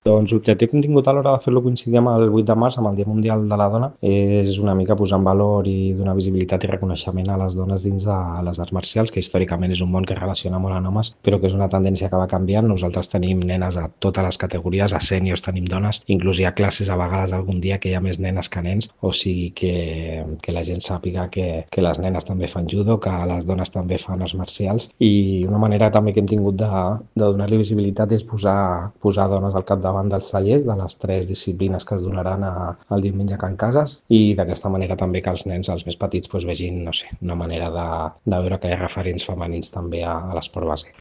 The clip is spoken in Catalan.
Doncs l'objectiu que hem tingut a l'hora de fer-lo coincidir amb el 8 de març, amb el Dia Mundial de la Dona, és una mica posar en valor i donar visibilitat i reconeixement a les dones dins de les arts marcials, que històricament és un món que es relaciona molt amb homes, però que és una tendència que va canviant. Nosaltres tenim nenes a totes les categories, a sèniors tenim dones, inclús hi ha classes a vegades algun dia que hi ha més nenes que nens, o sigui que la gent sàpiga que les nenes també fan judo, que les dones també fan arts marcials, i una manera també que hem tingut de donar-li visibilitat és posar dones al capdavant dels tallers de les 3 disciplines que es donaran el diumenge a Can Cases, i d'aquesta manera també que els nens, els més petits, vegin, no sé, una manera de veure que hi ha referents femenins també a l'esport base.